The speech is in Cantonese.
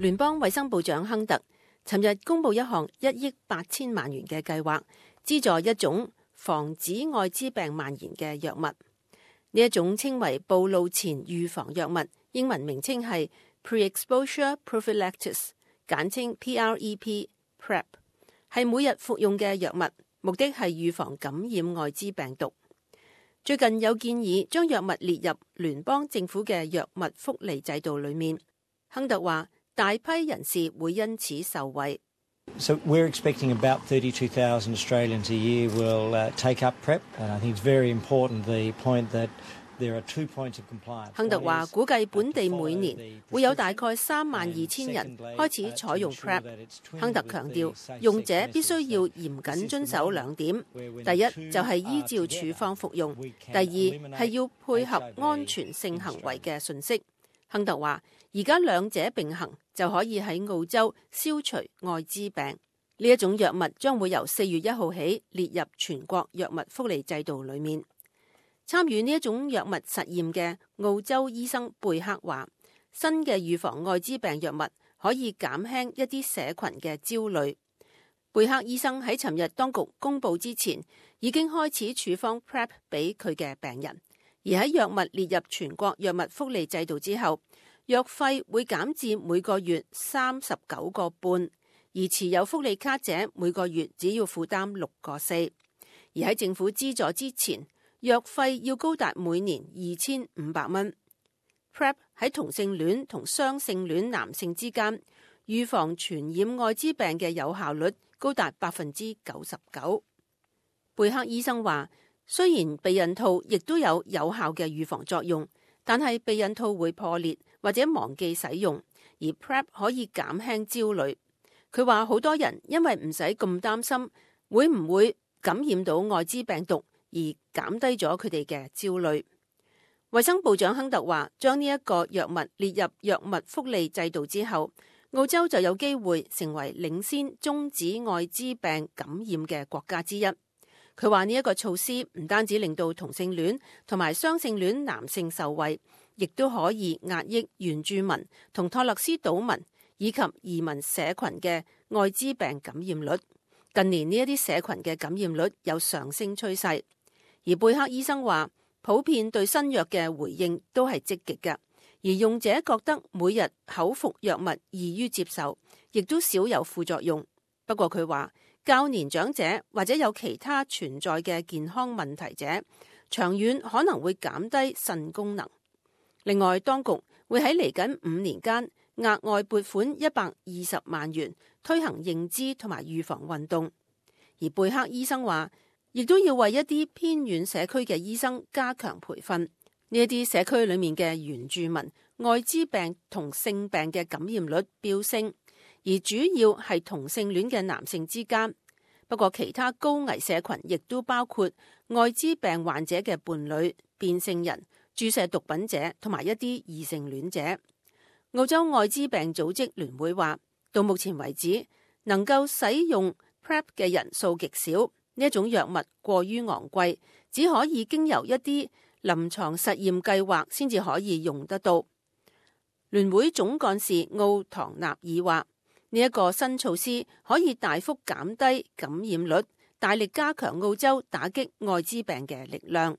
聯邦衛生部長亨特尋日公布一項1億8千萬元嘅計劃，資助一種防止愛滋病蔓延嘅藥物。呢一種稱為暴露前預防藥物，英文名稱係 Pre-Exposure Prophylaxis， 簡稱 PrEP， 係每日服用嘅藥物，目的係預防感染愛滋病毒。最近有建議將藥物列入聯邦政府嘅藥物福利制度裏面。亨特話，大批人士會因此受惠。So we're expecting about 32,000 Australians a year will take up PrEP, and I think it's very important the point that there are 2 points of compliance. 亨特話，估計本地每年會有大概32,000人開始採用 PrEP。亨特強調，用者必須要嚴謹遵守2點：第一就係依照處方服用；第二係要配合安全性行為嘅信息。亨特話，而家兩者並行就可以喺澳洲消除愛滋病。呢一種藥物將會由4月1號起列入全國藥物福利制度裏面。參與呢一種藥物實驗嘅澳洲醫生貝克話，新嘅預防愛滋病藥物可以減輕一啲社群嘅焦慮。貝克醫生喺尋日當局公佈之前已經開始處方 PrEP 俾佢嘅病人。而喺藥物列入全國藥物福利制度之後，藥費會減至每個月39個半，而持有福利卡者每個月只要負擔6個4。而喺政府資助之前，藥費要高達每年2500蚊。PrEP 喺同性戀同雙性戀男性之間預防傳染愛滋病嘅有效率高達99%。貝克醫生話，雖然避孕套亦都有效嘅預防作用，但係避孕套會破裂或者忘記使用，而 PrEP 可以減輕焦慮。佢話好多人因為唔使咁擔心會唔會感染到愛滋病毒，而減低咗佢哋嘅焦慮。衛生部長亨特話，將呢一個藥物列入藥物福利制度之後，澳洲就有機會成為領先終止愛滋病感染嘅國家之一。佢話呢一個措施唔單止令到同性戀同埋雙性戀男性受惠，亦都可以壓抑原住民同托勒斯島民以及移民社群嘅愛滋病感染率。近年呢一啲社群嘅感染率有上升趨勢，而貝克醫生話，普遍對新藥嘅回應都係積極嘅，而用者覺得每日口服藥物易於接受，亦都少有副作用。不過佢話，較年長者或者有其他存在嘅健康問題者，長遠可能會減低腎功能。另外，當局會喺嚟緊5年間額外撥款120萬元推行認知同埋預防運動。而貝克醫生話，亦都要為一啲偏遠社區嘅醫生加強培訓。呢一啲社區裏面嘅原住民愛滋病同性病嘅感染率飆升，而主要係同性戀嘅男性之間。不過其他高危社群亦都包括愛滋病患者嘅伴侶、變性人、注射毒品者同埋一啲異性戀者。澳洲愛滋病組織聯會話，到目前為止能夠使用 PrEP 嘅人數極少，呢一種藥物過於昂貴，只可以經由一啲臨床實驗計劃先至可以用得到。聯會總幹事奧唐納爾話，呢一個新措施可以大幅減低感染率，大力加強澳洲打擊愛滋病嘅力量。